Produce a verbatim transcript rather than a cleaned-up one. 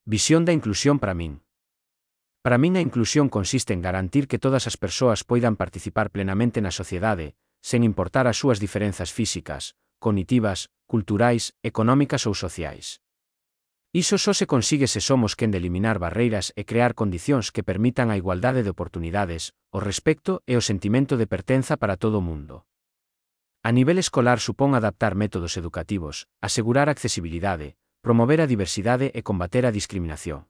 Visión da inclusión para min. Para min a inclusión consiste en garantir que todas as persoas poidan participar plenamente na sociedade, sen importar as súas diferenzas físicas, cognitivas, culturais, económicas ou sociais. Iso só se consigue se somos quen de eliminar barreiras e crear condicións que permitan a igualdade de oportunidades, o respecto e o sentimento de pertenza para todo o mundo. A nivel escolar supón adaptar métodos educativos, asegurar accesibilidade, promover a diversidade e combater a discriminación.